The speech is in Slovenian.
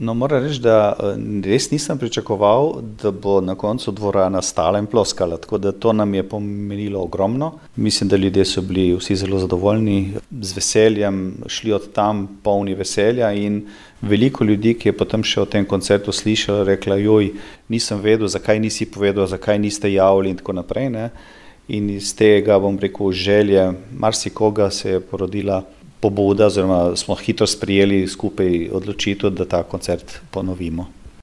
No, moram reči, da res nisem pričakoval, da bo na koncu dvorana stala in ploskala, tako da to nam je pomenilo ogromno. Mislim, da ljudje so bili vsi zelo zadovoljni, z veseljem šli od tam polni veselja in veliko ljudi, ki je potem še o tem koncertu slišalo, rekla, joj, nisem vedel, zakaj nisi povedal, zakaj niste javili in tako naprej, ne. In iz tega, bom rekel, želje marsikoga se je porodila pobuda, oziroma smo hitro sprejeli skupaj odločitev, da ta koncert ponovimo.